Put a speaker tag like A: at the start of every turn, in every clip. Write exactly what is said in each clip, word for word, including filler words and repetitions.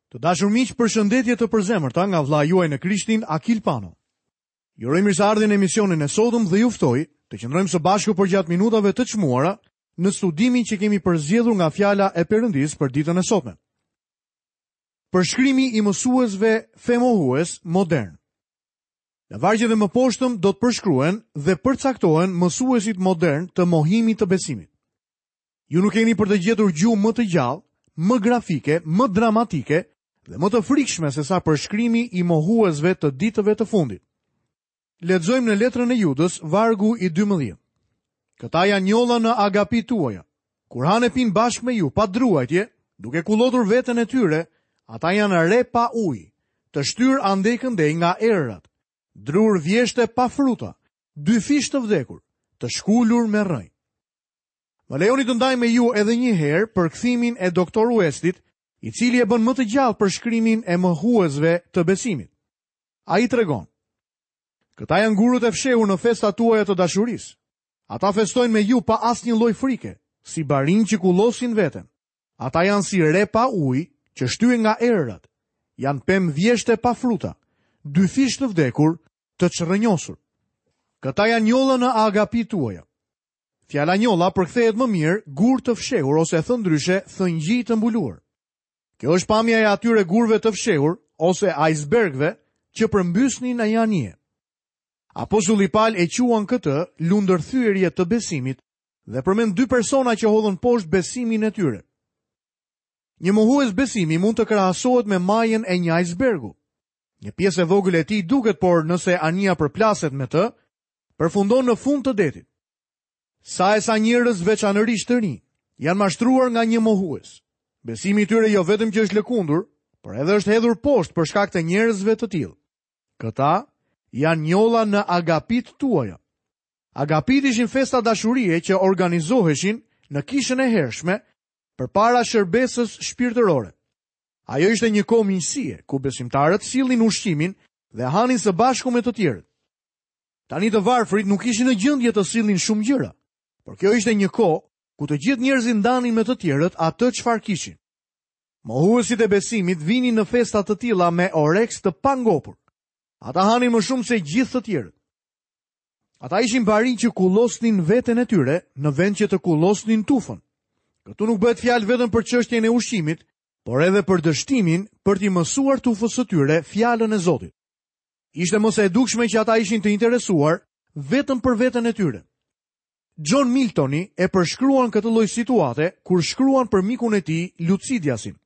A: Të dashur miq, përshëndetje të përzemërta nga vëllai juaj në Krishtin, Akil Pano. Ju uroj mirëseardhjen në emisionin e sotëm dhe ju ftoj të qëndrojmë së bashku përgjatë minutave të çmuara në studimin që kemi përzgjedhur nga fjala e Perëndisë për ditën e sotme. Përshkrimi i mësuesve femohues modern. Në vargjet e mëposhtëm do të përshkruhen dhe përcaktohen mësuesit modern të mohimit të besimit. Ju nuk keni për të gjetur gjuhë më të gjallë, më grafike, më dramatike dhe më të frikshme se sa përshkrimi i mohuesve të ditëve të fundit. Lexojmë në letrën e Judës, vargu i dymbëdhjetë. Këta janë njolla në agapi tuaja. Kur hanë e pinë bashkë me ju pa druajtje, duke kullotur veten e tyre, ata janë re pa ujë, të shtyrë andej këndej nga erërat, drur vjeshte pa fruta, dyfish të vdekur, të shkulur me rrënjë. Më lejoni të ndaj me ju edhe një herë përkthimin e doktor Westit, i cili e bën më të gjallë përshkrimin e mohuesve të besimit. Ai tregon: Këta janë gurët e fshehur në festat tuaja të dashurisë. Ata festojnë me ju pa asnjë lloj frike, si barinj që kullosin veten. Ata janë si re pa ujë që shtyhen nga erërat. Janë pemë vjeshte pa fruta, dyfish të vdekur, të çrrënjosur. Këta janë njolla në agapi tuaja. Fjala njolla përkthehet më mirë gur të fshehur ose thënë ndryshe thëngjij të mbuluar. Kjo është pamja e atyre gurëve të fshehur ose icebergëve që përmbysnin në anije. Apostulli Paul e quan këtë lundërthyerje të besimit dhe përmend dy persona që hodhën poshtë besimin e tyre. Një mohues besimi mund të krahasohet me majën e një icebergu. Një pjesë e vogël e tij duket, por nëse anija përplaset me të, përfundon në fund të detit. Sa e sa njerëz veçanërisht të rinj janë mashtruar nga një mohues. Besimi i tyre jo vetëm që është lëkundur, por edhe është hedhur poshtë për shkak të njerëzve të tillë. Këta janë njolla në agapit tuaja. Agapit ishin festa dashurie që organizoheshin në kishën e hershme përpara shërbesës shpirtërore. Ajo ishte një kohë miqësie ku besimtarët sillnin ushqimin dhe hanin së bashku me të tjerët. Tani të varfrit nuk ishin në gjendje të sillnin shumë gjëra, por kjo ishte një kohë ku të gjithë njerëzit ndanin me të tjerët atë çfarë kishin. Mohuesit e besimit vinin në festa të tilla me oreks të pangopur. Ata hanin më shumë se gjithë të tjerët. Ata ishin barinj që kullosnin veten e tyre në vend që të kullosnin tufën. Këtu nuk bëhet fjalë vetëm për çështjen e ushqimit, por edhe për dështimin për t'i mësuar tufës së tyre fjalën e Zotit. Ishte më se e dukshme që ata ishin të interesuar vetëm për veten e tyre. John Miltoni e përshkruan këtë lloj situate kur shkruan për mikun e tij Lucidiasin.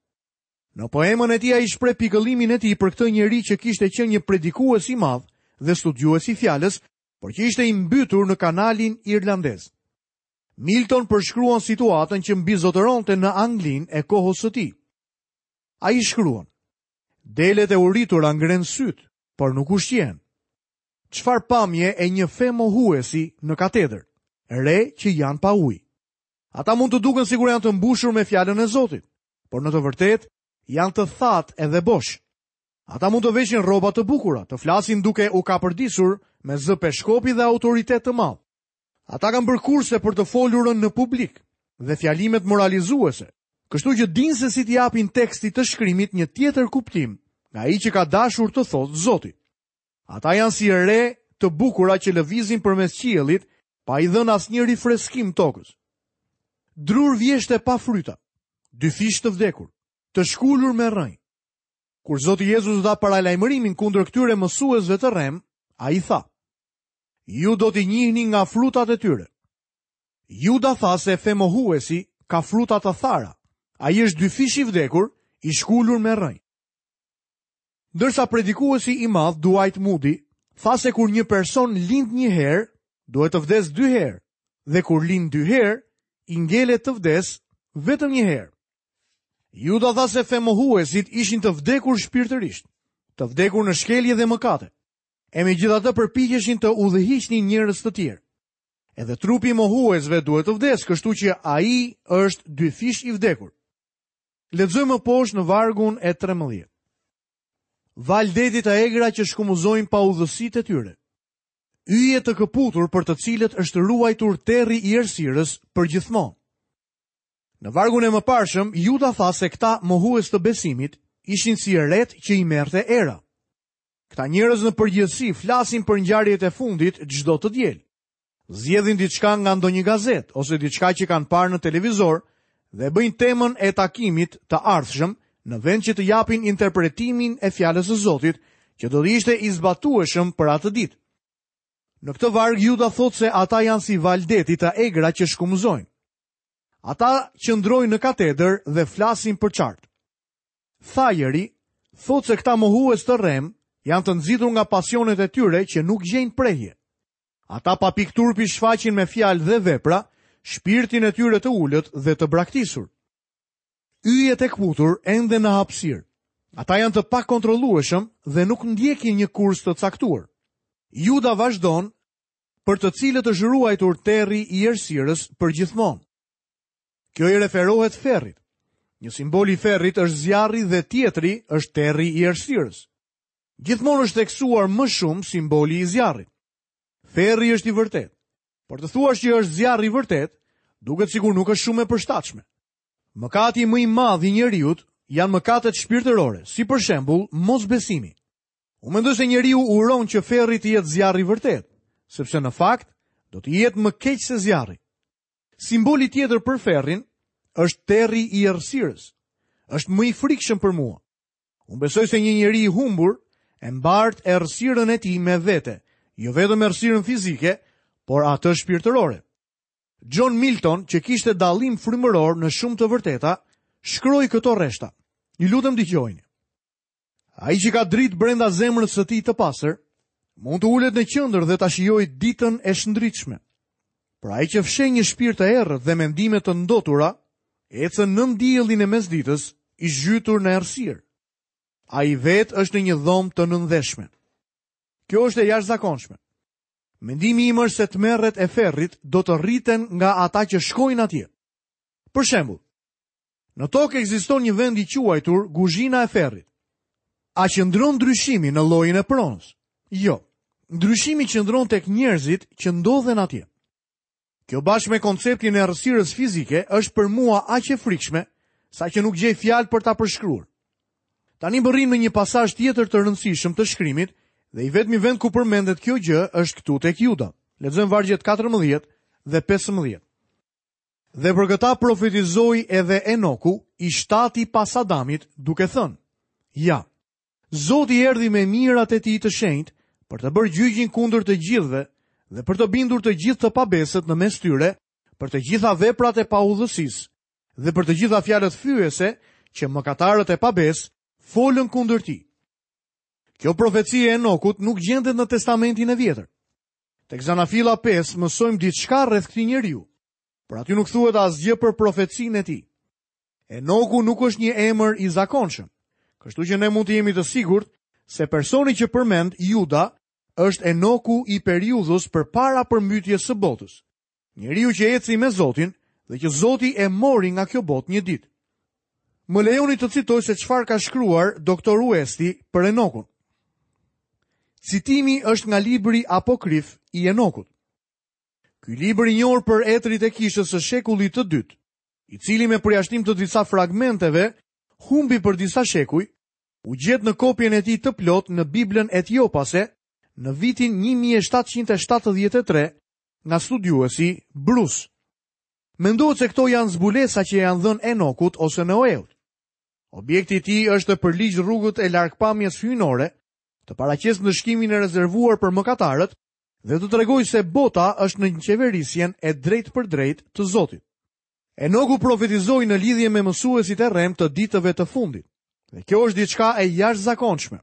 A: Në poemën e tij ai shpreh pikëllimin e tij për këtë njeri që kishte qenë një predikues i madh dhe studiues i fjalës, por që ishte i mbytur në kanalin irlandez. Milton përshkruan situatën që mbizotëronte në Anglinë e kohës së tij. Ai shkruan: Delet e uritura ngren syt, por nuk ushqehen. Çfarë pamje e një fe mohuesi në katedër, re që janë pa ujë. Ata mund të duken sikur janë të mbushur me fjalën e Zotit, por në të vërtetë janë të thatë edhe bosh. Ata mund të veshin rroba të bukura, të flasin duke u kapërdisur me zë peshkopi dhe autoritet të madh. Ata kanë bërë kurse për të folurën në publik dhe fjalimet moralizuese, kështu që dinë se si t'i japin tekstit të shkrimit një tjetër kuptim nga ai që ka dashur të thotë Zoti. Ata janë si re të bukura që lëvizin përmes qiellit pa i dhënë asnjë rifreskim tokës. Drur vjeshte pa fryta, dyfish të vdekur, të shkulur me rrënjë. Kur Zoti Jezus dha paralajmërimin kundër këtyre mësuesve të rrem, ai tha: Ju do t'i njihni nga frutat e tyre. Juda tha se femohuesi ka fruta të thara. Ai është dyfish i vdekur, i shkulur me rrënjë. Ndërsa predikuesi i madh Dwight Moody tha se kur një person lind një herë, duhet të vdes dy herë, dhe kur lind dy herë, i ngelet të vdes vetëm një herë. Juda tha se femohuesit ishin të vdekur shpirtërisht, të vdekur në shkelje dhe mëkate, e megjithatë përpiqeshin të udhëhiqnin njerëz të tjerë. Edhe trupi i mohuesve duhet të vdes, kështu që ai është dyfish i vdekur. Lexojmë më poshtë në vargun e trembëdhjetë. Val detit të egra që shkumuzojnë pa udhësitë e tyre. Yje të këputur për të cilët është ruajtur terri i errësirës për gjithmonë. Në vargun e mëparshëm, Juda tha se këta mohues të besimit ishin si retë që i merrte era. Këta njerëz në përgjithësi flasin për ngjarjet e fundit çdo të diel. Zgjedhin diçka nga ndonjë gazetë ose diçka që kanë parë në televizor dhe bëjnë temën e takimit të ardhshëm në vend që të japin interpretimin e fjalës së Zotit, që do të ishte i zbatueshëm për atë ditë. Në këtë varg Juda thotë se ata janë si valë deti të egra që shkumëzojnë. Ata qëndrojnë në katedër dhe flasin përçart. Thajeri thotë se këta mohues të rrem janë të nxitur nga pasionet e tyre që nuk gjejnë prehje. Ata pa pikë turpi shfaqin me fjalë dhe vepra shpirtin e tyre të ulët dhe të braktisur. Yjet e kputur ende në hapësirë. Ata janë të pakontrollueshëm dhe nuk ndjekin një kurs të caktuar. Juda vazhdon, për të cilët është ruajtur terri i errësirës për gjithmonë. Kjo i referohet ferrit. Një simbol i ferrit është zjarri dhe tjetri është terri i errësirës. Gjithmonë është theksuar më shumë simboli i zjarrit. Ferri është i vërtetë. Por të thuash që është zjarri i vërtetë, duket sikur nuk është shumë e përshtatshme. Mëkati më i madh i njeriut janë mëkatet shpirtërore, si për shembull mosbesimi. Unë mendoj se njeriu uron që ferri të jetë zjarri i vërtetë, sepse në fakt do të jetë më keq se zjarri. Simboli tjetër për ferrin është terri i errësirës. Është më i frikshëm për mua. Unë besoj se një njeri i humbur e mbart errësirën e tij me vete, jo vetëm errësirën fizike, por atë shpirtërore. John Milton, që kishte dallim frymëror në shumë të vërteta, shkroi këto rreshta. Ju lutem dëgjojini. Ai që ka dritë brenda zemrës së tij të pastër, mund të ulet në qendër dhe ta shijojë ditën e shndritshme. Por ai që fsheh një shpirt të errët dhe mendime të ndotura, ecën nën diellin e mesditës, i zhytur në errësirë. Ai vetë është në një dhomë të nëndheshme. Kjo është e jashtëzakonshme. Mendimi im është se tmerret e ferrit do të rriten nga ata që shkojnë atje. Për shembull, në tokë ekziston një vend i quajtur Guzhina e Ferrit. A qëndron ndryshimi në llojin e pronës? Jo. Ndryshimi qëndron tek njerëzit që ndodhen atje. Kjo bashkë me konceptin e errësirës fizike është për mua aq e frikshme, sa që nuk gjej fjalë për ta përshkruar. Tani mbërrim në një pasazh tjetër të rëndësishëm të shkrimit dhe i vetmi vend ku përmendet kjo gjë është këtu tek Juda. Lexojmë vargjet katërmbëdhjetë dhe pesëmbëdhjetë. Dhe për këta profetizoi edhe Enoku, i shtati pas Adamit, duke thënë: Ja, Zoti erdhi me mirat e tij të shenjtë për të bërë gjyqin kundër të gjithëve dhe për të bindur të gjithë të pabesët në mes tyre, për të gjitha veprat e paudhësisë dhe për të gjitha fjalët fyese që mëkatarët e pabesë folën kundër tij. Kjo profeci e Enokut nuk gjendet në Testamentin e Vjetër. Tek Zanafilla pesë mësojmë diçka rreth këtij njeriu, por aty nuk thuhet asgjë për profecinë e tij. Enoku nuk është një emër i zakonshëm, kështu që ne mund të jemi të sigurt se personi që përmend Juda është Enoku i periudhës përpara përmbytjes së botës. Njeriu që eci me Zotin dhe që Zoti e mori nga kjo botë një ditë. Më lejoni të citoj se çfarë ka shkruar doktor Uesti për Enokun. Citimi është nga libri apokrif i Enokut. Ky libër i njohur për etrit e kishës së shekullit të dytë, i cili me përjashtim të disa fragmenteve humbi për disa shekuj, u gjet në kopjen e tij të plot në Biblën etiopase në vitin një mijë e shtatëqind e shtatëdhjetë e tre nga studiuesi Bruce. Mendohet se këto janë zbulesa që janë dhënë Enokut ose Noeut. Objekti i tij është të përligj rrugët e largpamjes hyjnore, të paraqes ndëshkimin e rezervuar për mëkatarët dhe të tregojë se bota është në qeverisjen e drejtë për drejtë të Zotit. Enoku profetizoi në lidhje me mësuesit e rrem të ditëve të fundit. Dhe kjo është diçka e jashtëzakonshme.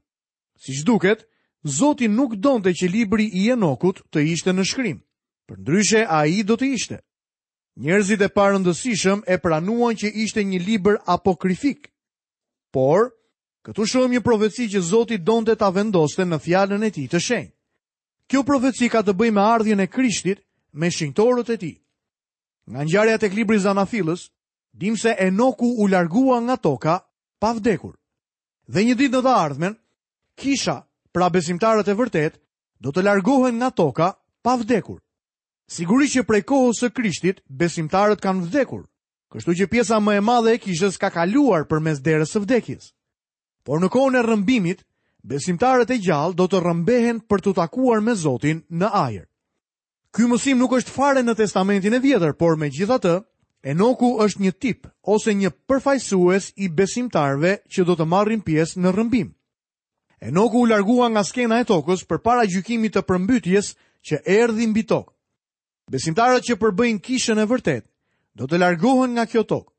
A: Siç duket, Zoti nuk donte që libri i Enokut të ishte në shkrim. Përndryshe ai do të ishte. Njerëzit e parëndësishëm e pranuan që ishte një libër apokrifik. Por, këtu shohim një profeci që Zoti donte ta vendoste në fjalën e tij të shenjtë. Kjo profeci ka të bëjë me ardhjen e Krishtit me shenjtorët e tij. Nga ngjarja tek libri i Zanafillës, dim se Enoku u largua nga toka pa vdekur. Dhe një ditë në të ardhmen, kisha, pra besimtarët e vërtet, do të largohen nga toka pa vdekur. Sigurisht që prej kohës së Krishtit, besimtarët kanë vdekur, kështu që pjesa më e madhe e kishës ka kaluar përmes derës së vdekjes. Por në kohën e rrëmbimit, besimtarët e gjallë do të rrëmbehen për t'u takuar me Zotin në ajër. Ky mësim nuk është fare në Testamentin e Vjetër, por megjithatë, Enoku është një tip ose një përfaqësues i besimtarëve që do të marrin pjesë në rrëmbim. Enoku u largua nga skena e tokës përpara gjykimit të përmbytjes që erdhi mbi tokë. Besimtarët që përbëjnë kishën e vërtetë do të largohen nga kjo tokë.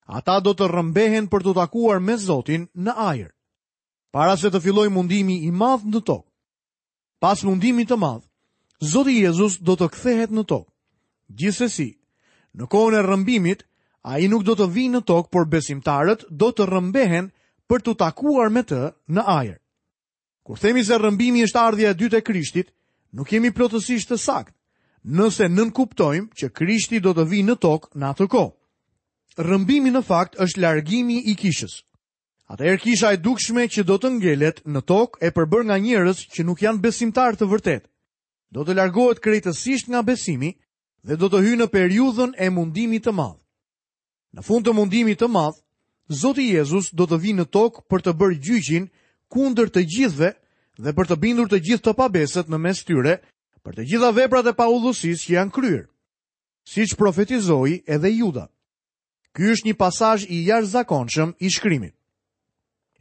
A: Ata do të rrëmbehen për t'u takuar me Zotin në ajër, para se të fillojë mundimi i madh në tokë. Pas mundimit të madh, Zoti Jezus do të kthehet në tokë. Gjithsesi, në kohën e rrëmbimit, ai nuk do të vijë në tokë, por besimtarët do të rrëmbehen për t'u takuar me të në ajër. Kur themi se rrëmbimi është ardhja e dytë e Krishtit, nuk jemi plotësisht të saktë, nëse nënkuptojmë që Krishti do të vijë në tokë në atë kohë. Rrëmbimi në fakt është largimi i kishës. Atëherë kisha e dukshme që do të ngelet në tokë e përbërë nga njerëz që nuk janë besimtarë të vërtetë, do të largohet krejtësisht nga besimi dhe do të hyjë në periudhën e mundimit të madh. Në fund të mundimit të madh, Zoti Jezus do të vijë në tokë për të bërë gjyqin kundër të gjithëve dhe për të bindur të gjithë të pabesët në mes tyre për të gjitha veprat e paudhësisë që janë kryer, siç profetizoi edhe Juda. Ky është një pasazh i jashtëzakonshëm i shkrimit.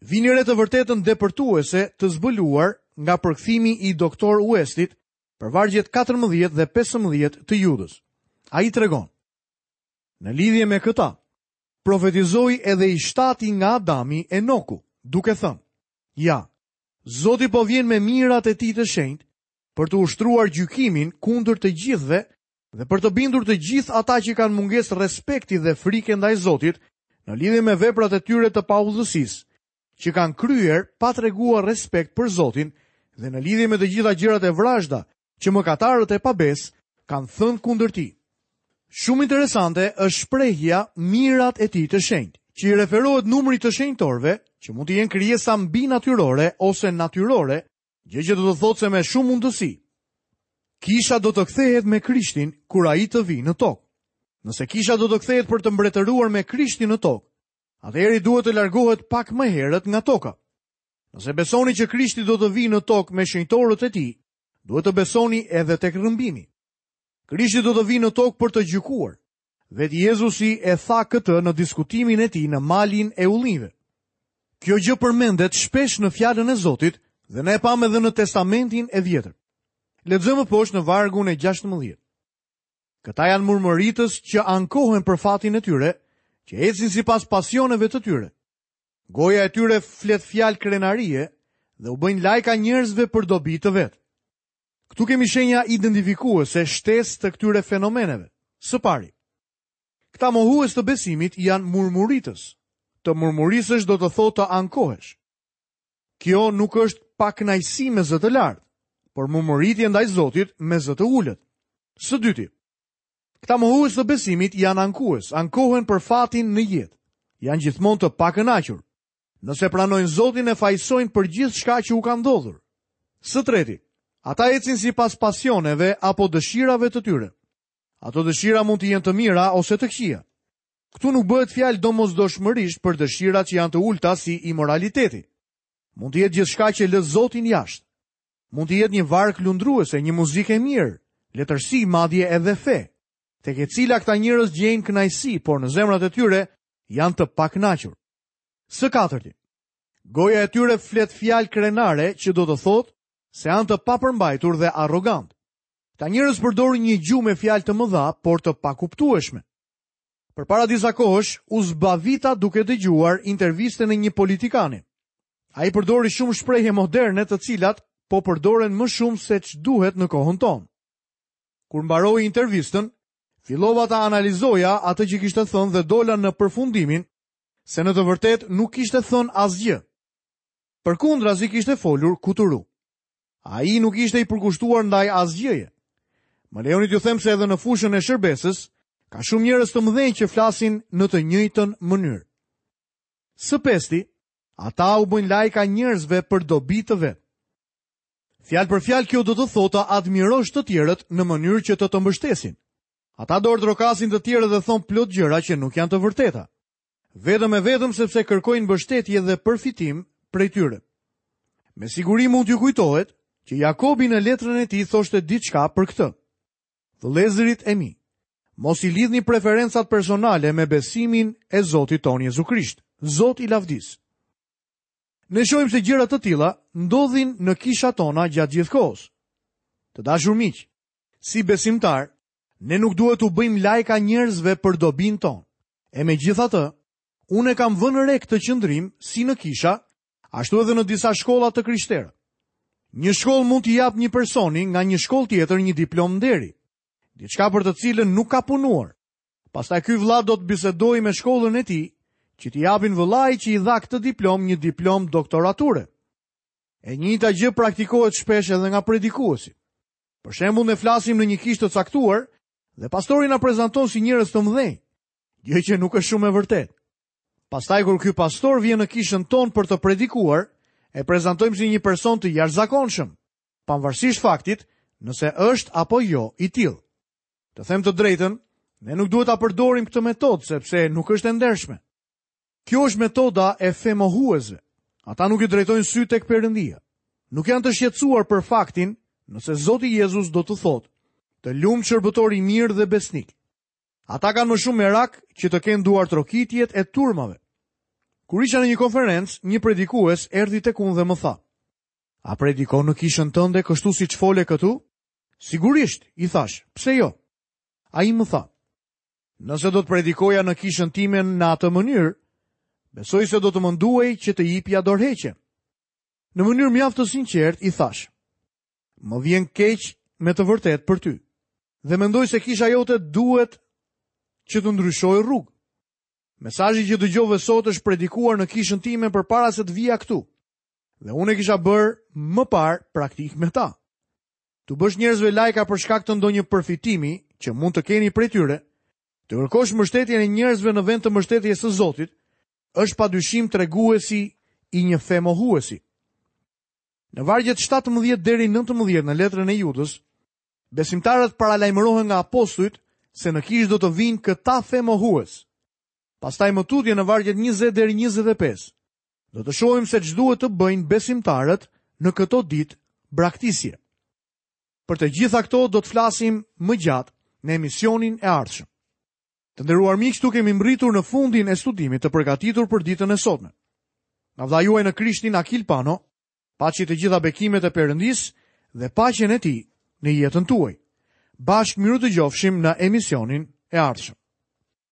A: Vini re të vërtetën depërtuese të zbuluar nga përkthimi i doktor Westit për vargjet katërmbëdhjetë dhe pesëmbëdhjetë të Judës. Ai tregon: Në lidhje me këta, profetizoi edhe i shtati nga Adami Enoku, duke thënë: Ja, Zoti po vjen me mirat e tij të shenjtë për të ushtruar gjykimin kundër të gjithëve dhe për të bindur të gjithë ata që kanë mungesë respekti dhe frike ndaj Zotit në lidhje me veprat e tyre të paudhësisë, që kanë kryer pa treguar respekt për Zotin dhe në lidhje me të gjitha gjërat e vrazhda që mëkatarët e pabes kanë thënë kundër tij. Shumë interesante është shprehja mirat e tij të shenjtë, që i referohet numrit të shenjtorëve, që mund të jenë krijesa mbinatyrore ose natyrore, gjë që do të thotë se me shumë mundësi kisha do të kthehet me Krishtin kur ai të vijë në tokë. Nëse kisha do të kthehet për të mbretëruar me Krishtin në tokë, atëherë duhet të largohet pak më herët nga toka. Nëse besoni që Krishti do të vijë në tokë me shenjtorët e tij, duhet të besoni edhe tek rrëmbimi. Krishti do të vijë në tokë për të gjykuar. Vetë Jezusi e tha këtë në diskutimin e tij në malin e ullinjve. Kjo gjë përmendet shpesh në fjalën e Zotit dhe ne e pamë edhe në Testamentin e Vjetër. Lexojmë poshtë në vargun e gjashtëmbëdhjetë. Këta janë murmuritës që ankohen për fatin e tyre, që ecin sipas pasioneve të tyre. Goja e tyre flet fjalë krenarie dhe u bëjnë lajka njerëzve për dobi të vet. Këtu kemi shenja identifikuese shtesë të këtyre fenomeneve. Së pari, këta mohues të besimit janë murmuritës. Të murmurisësh do të thotë të ankohesh. Kjo nuk është pakënaqësi me zë të lartë, por murmuritje ndaj Zotit me zë të ulët. Së dyti, këta mohues të besimit janë ankues, ankohen për fatin në jetë. Janë gjithmonë të pakënaqur. Nëse pranojnë Zotin e fajsojnë për gjithçka që u ka ndodhur. Së treti, ata ecin sipas pasioneve apo dëshirave të tyre. Ato dëshira mund të jenë të mira ose të këqija. Këtu nuk bëhet fjalë domosdoshmërisht për dëshirat që janë të ulta si imoraliteti. Mund të jetë gjithçka që lë Zotin jashtë. Mund të jetë një varg lundruese, një muzikë e mirë, letërsi, madje edhe fe, tek e cila këta njerëz gjejnë kënaqësi, por në zemrat e tyre janë të pakënaqur. Së katërti, goja e tyre flet fjalë krenare që do të thotë se janë të papërmbajtur dhe arrogant. Këta njerëz përdorin një gjuhë me fjalë të mëdha, por të pakuptueshme. Përpara disa kohësh u zbavita duke dëgjuar intervistën e një politikani. Ai përdori shumë shprehje moderne të cilat po përdoren më shumë se ç'duhet në kohën tonë. Kur mbaroi intervistën, fillova ta analizoja atë që kishte thënë dhe dola në përfundimin se në të vërtetë nuk kishte thënë asgjë. Përkundrazi kishte folur kuturu. Ai nuk ishte i përkushtuar ndaj asgjëje. Më lejoni t'ju them se edhe në fushën e shërbesës ka shumë njerëz të mëdhenj që flasin në të njëjtën mënyrë. Së pesti, ata u bëjnë lajka njerëzve për dobi të vet. Fjalë për fjalë kjo do të thotë të admirosh të tjerët në mënyrë që të të mbështesin. Ata dorë trokasin të tjerët dhe thon plot gjëra që nuk janë të vërteta. Vetëm e vetëm sepse kërkojnë mbështetje dhe përfitim prej tyre. Me siguri mund t'ju kujtohet që Jakobi në letrën e tij thoshte diçka për këtë. Vëllezërit e mi, mos i lidhni preferencat personale me besimin e Zotit tonë Jezu Krisht, Zot i lavdisë. Ne shohim se gjëra të tilla ndodhin në kishat tona gjatë gjithë kohës. Të dashur miq, si besimtar, ne nuk duhet t'u bëjmë lajka njerëzve për dobinë tonë. E megjithatë, unë e kam vënë re këtë qëndrim si në kisha, ashtu edhe në disa shkolla të krishtera. Një shkollë mund t'i japë një personi nga një shkollë tjetër një diplomë nderi, diçka për të cilën nuk ka punuar. Pastaj ky vëlla do të bisedojë me shkollën e tij, që t'i japin vëllai që i dha këtë diplomë një diplomë doktorature. E njëjta gjë praktikohet shpesh edhe nga predikuesit. Për shembull, ne flasim në një kishë të caktuar dhe pastori na prezanton si njerëz të mëdhenj, gjë që nuk është shumë e vërtetë. Pastaj kur ky pastor vjen në kishën tonë për të predikuar, e prezantojmë si një person të jashtëzakonshëm, pavarësisht faktit nëse është apo jo i tillë. Të them të drejtën, ne nuk duhet ta përdorim këtë metodë sepse nuk është e ndershme. Kjo është metoda e femohuesve. Ata nuk i drejtojnë sy tek Perëndia. Nuk janë të shqetësuar për faktin nëse Zoti Jezus do të thotë: "Të lumt shërbëtor i mirë dhe besnik." Ata kanë më shumë merak që të kenë duar trokitjet e turmave. Kur isha në një konferencë, një predikues erdhi tek unë dhe më tha: "A predikon në kishën tënde kështu siç fole këtu?" Sigurisht, i thash, pse jo? Ai më tha: "Nëse do të predikoja në kishën time në atë mënyrë, besoj se do të më nduhej që të jipja dorëheqje." Në mënyrë mjaft të sinqertë i thash: "Më vjen keq me të vërtetë për ty, dhe mendoj se kisha jote duhet që të ndryshojë rrugë. Mesazhi që dëgjove sot është predikuar në kishën time përpara se të vija këtu, dhe unë e kisha bërë më parë praktik me ta. Tu bësh njerëzve lajka për shkak të ndonjë përfitimi që mund të keni prej tyre, të kërkosh mbështetjen e njerëzve në vend të mbështetjes së Zotit, është padyshim treguesi i një femohuesi." Në vargjet shtatëmbëdhjetë deri nëntëmbëdhjetë në letrën e Judës, besimtarët paralajmërohen nga apostujt se në kishë do të vinë këta femohues. Pastaj më tutje në vargjet njëzet deri njëzet e pesë, do të shohim se ç'duhet të bëjnë besimtarët në këto ditë braktisje. Për të gjitha këto do të flasim më gjatë në emisionin e ardhshëm. Të nderuar miq, këtu kemi mbërritur në fundin e studimit të përgatitur për ditën e sotme. Nga vëllai juaj në Krishtin Akil Pano, paçi të gjitha bekimet e Perëndisë dhe paqen e tij në jetën tuaj. Bashkë miru dëgjofshim në emisionin e ardhshëm.